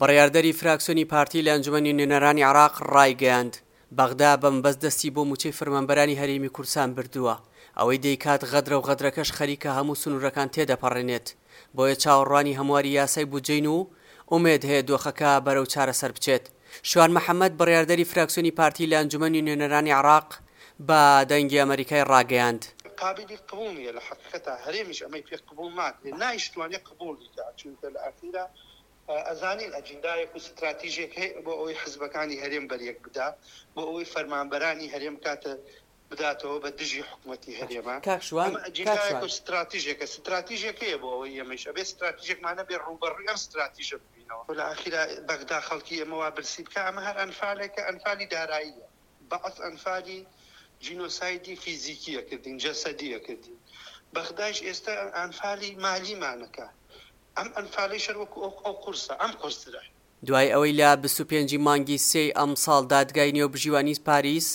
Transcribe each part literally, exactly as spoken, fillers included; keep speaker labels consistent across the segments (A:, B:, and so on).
A: بڕیاردەری فراکسیۆنی پارتی لە ئەنجومەنی نوێنەرانی عێراق ڕایگەیاند، بەغدا بە مەبەست دەستی بۆ مووچەی فەرمانبەرانی هەرێمی کوردستان بردووە، ئەوەی دەیکات غەدرە و غەدرەکەش خەریکە هەموو سنوورەکان تێدەپەڕێنێت، بۆیە چاوەڕوانی هەمواری یاسای بودجەین و ئومێد هەیە دۆخەکە بەرەو چارەسەر بچێت. شوان محەمەد، بڕیاردەری فراکسیۆنی پارتی لە ئەنجومەنی نوێنەرانی عێراق بە دەنگی ئەمەریکای ڕاگەیاند،
B: قابیلی قبوڵ نییە لە حەقیقەتا هەرێمیش ئەمەی پێ قبوڵ ناکرێت نایشتوانێت قبوڵی کات چونکە لە ئەخیرا ئەزانین ئەجندایەک و ستراتیژێک هەیە بۆ ئەوەی حزبەکانی هەرێم بەریەک بدا بۆ ئەوەی فەرمانبەرانی هەرێم بکاتە بداتەوە بە دژی حکومەتی هەرێمە
A: کاک شوان
B: ئەمە
A: کاک
B: ئەجندایەک
A: شوان
B: و ستراتیژێکە ستراتیژێک هەیە بۆ ئەوەی ئێمەیش ئەبێ ستراتیژێکمان هەبێ ڕووبەڕووی ئەم ستراتیژە ببینەوە لە ئاخیرا بەغدا خەڵکی ئێمە وا برسی بکا ئەمە هەر ئەنفالێکە ئەنفالی داراییە بەعس ئەنفالی جینۆسایدی فیزیکی ئەکردین جەسەدی ئەکردین بەغدایش ئێستا ئەنفالی مالیمانەکە ئەم ئەنفالەیش هەر وەکو ئەو ئەو قورسە ئەم قورسترە.
A: دوای ئەوەی لە بیست و پێنج ی مانگی سێی ئەمساڵ دادگای نێوبژیوانی پاریس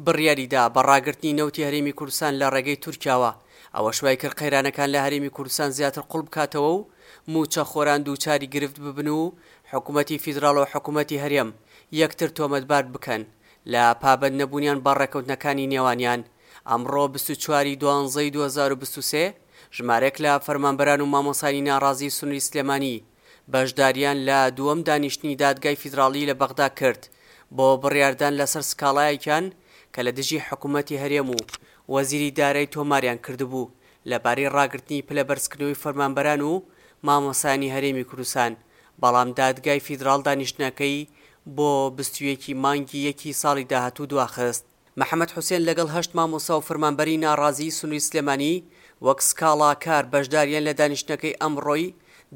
A: بڕیاریدا بە ڕاگرتنی نەوتی هەرێمی کوردستان لە ڕێگەی تورکیاوە، ئەوەش وایکرد قەیرانەکان لە هەرێمی کوردستان زیاتر قوڵ بکاتەوە و مووچەخۆران دووچاری گرفت ببن و حکومەتی فیدراڵ و حکومەتی هەرێم یەکتر تۆمەتبار بکەن لە پابەند نەبوونیان بە ڕێککەوتنەکانی نێوانیان. ئەمڕۆ بیست و چوار ی دوانزەی دوو هەزار و بیست و سێ ژمارەیەک لە فەرمانبەران و مامۆستایانی ناڕازیی سنووری سلێمانی بەشدارییان لە دووەم دانیشتنی دادگای فیدراڵی لە بەغدا کرد بۆ بڕیاردان لەسەر سکاڵایەکیان کە لە دژی حکومەتی هەرێم و وەزیری دارایی تۆماریان کردبوو لەبارەی ڕاگرتنی پلەبەرزکردنەوەی فەرمانبەران و مامۆستایانی هەرێمی کوردستان، بەڵام دادگای فیدراڵ دانیشتنەکەی بۆ بیست و یەک ی مانگی یەکی ساڵی داهاتوو دواخست. محەمەد حوسێن لەگەڵ هەشت مامۆستا و فەرمانبەری ناڕازیی سنووری سلێمانی وەک سکاڵاکار بەشدارییان لە دانیشتنەکەی ئەمڕۆی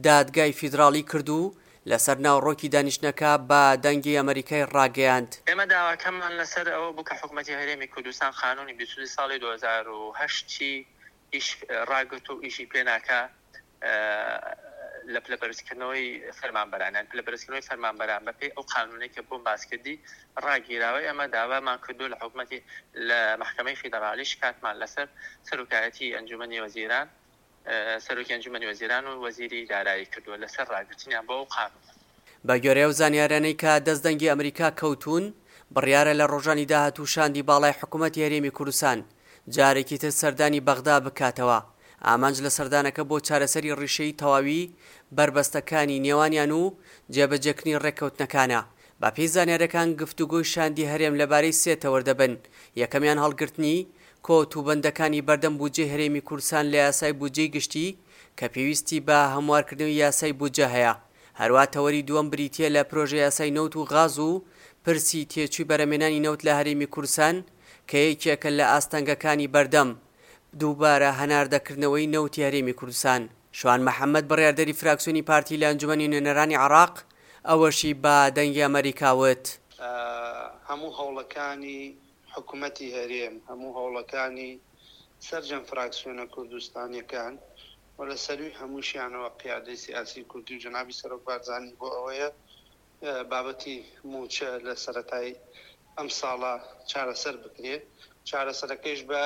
A: دادگای فیدراڵی کرد و لەسەر ناوەڕۆکی دانیشتنەکە بە دەنگی ئەمەریکای ڕاگەیاند.
C: ئێمە داواکەمان لەسەر ئەوە بوو کە حکومەتی هەرێمی کوردستان قانونی بیست و دوو ساڵی دوو هەزار و هەشت ی ئیش ڕاگرت و ئیشی پێ ناکا لە پلەبەرزکردنەوەی فەرمانبەران، یان پلەبەرزکردنەوەی فەرمانبەران بەپێی ئەو قانونەی کە بۆم باس کردی ڕاگیراوە. ئێمە داوامان کردووە لە حکومەتی لە مەحکەمەی فیدراڵی شکاتمان لەسەر سەرۆکایەتی ئەنجومەنی وەزیران سەرۆکی ئەنجومەنی وەزیران و وەزیری دارایی کردووە لەسەر ڕاگرتنیان بۆ ئەو قانونە.
A: بە گوێرەی ئەو زانیاریانەی کە دەست دەنگی ئەمریکا کەوتوون، بڕیارە لە ڕۆژانی داهاتوو شاندی باڵای حکومەتی هەرێمی کوردستان جارێکی تر سەردانی بەغدا بکاتەوە، ئامانج لە سەردانەکە بۆ چارەسەری ڕیشەیی تەواوی بەربەستەکانی نێوانیان و جێبەجێکردنی ڕێککەوتنەکانە. بەپێی زانیاریەکان گفتوگۆی شاندی هەرێم لەبارەی سێ تەوەر دەبن، یەکەمیان هەڵگرتنی کۆت و بەندەکانی بەردەم بودجەی هەرێمی کوردستان لە یاسای بودجەی گشتی کە پێویستی بە هەموارکردنەوەی یاسای بودجە هەیە، هەروا تەوەری دووەم بریتییە لە پرۆژەیاسای نەوت و غاز و پرسی تێچووی بەرهەمهێنانی نەوت لە هەرێمی کوردستان کە یەکێکە لە ئاستەنگەکانی بەردەم دووبارە هەناردەکردنەوەی نەوتی هەرێمی کوردستان. شوان محەمەد بڕیاردەری فراکسیۆنی پارتی لە ئەنجومەنی نوێنەرانی عێراق ئەوەشی بە دەنگی ئەمەریکا وت.
B: هەموو هەوڵەکانی حکومەتی هەرێم، هەموو هەوڵەکانی سەرجەم فراکسیۆنە کوردستانیەکان و لە سەرووی هەمووشیانەوە قیادەی سیاسی کوردی و جەنابی سەرۆک بارزانی بۆ ئەوەیە بابەتی مووچە لە سەرەتای ئەمساڵە چارەسەر بکرێ، چارەسەرەکەیش بە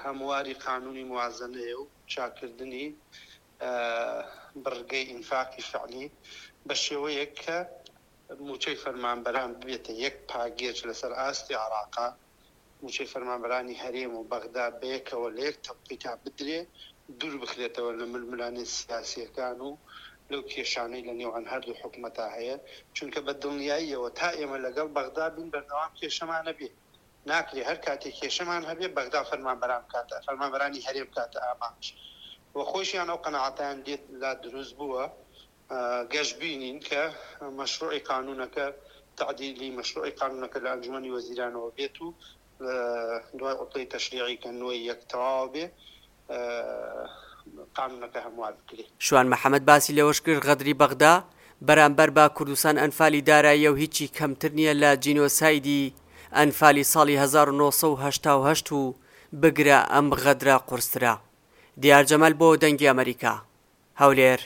B: هەمواری قانونی موازەنەیە و چاککردنی بڕگەی ئینفاقی فعلی بە شێوەیەک کە مووچەی فەرمانبەران ببێتە یەک پاگێج لەسەر ئاستی عێراقا، مووچەی فەرمانبەرانی هەرێم و بەغدا بەیەکەوە لە یەک تەوقیتا بدرێ، دوور بخرێتەوە لە ململانێ سیاسییەکان و لەو کێشانەی لە نێوان هەردوو حکومەتا هەیە، چونکە بە دڵنیاییەوە تا ئێمە لەگەڵ بەغدا بین بەردەوام کێشەمان ئەبێ، ناکرێ هەر کاتێ کێشەمان هەبێ بەغدا فەرمانبەران بکاتە فەرمانبەرانی هەرێم بکاتە ئامانج و خۆیشیان ئەو قەناعەتەیان لێ لا دروست بووە. گەشبینین کە مەشروعی قانوونەکە تەعدیلی مەشروعی قانوونەکە لە ئەنجومەنی وەزیرانەوە بێت و دوای عوتڵەی تەشریعی کە نۆی یەک تەواو بێ قانوونەکە هەموار بکرێ.
A: شوان محەمەد باسی لەوەشکرد، غەدری بەغدا بەرامبەر بە کوردستان ئەنفالی داراییە و هیچی کەمتر نییە لە جینۆسایدی ئەنفالی ساڵی هەزار و نۆ سەد و هەشتا و هەشت و بگرە ئەم غەدرە قورسترە. دیار جەمال بۆ دەنگی ئەمەریکا، هەولێر.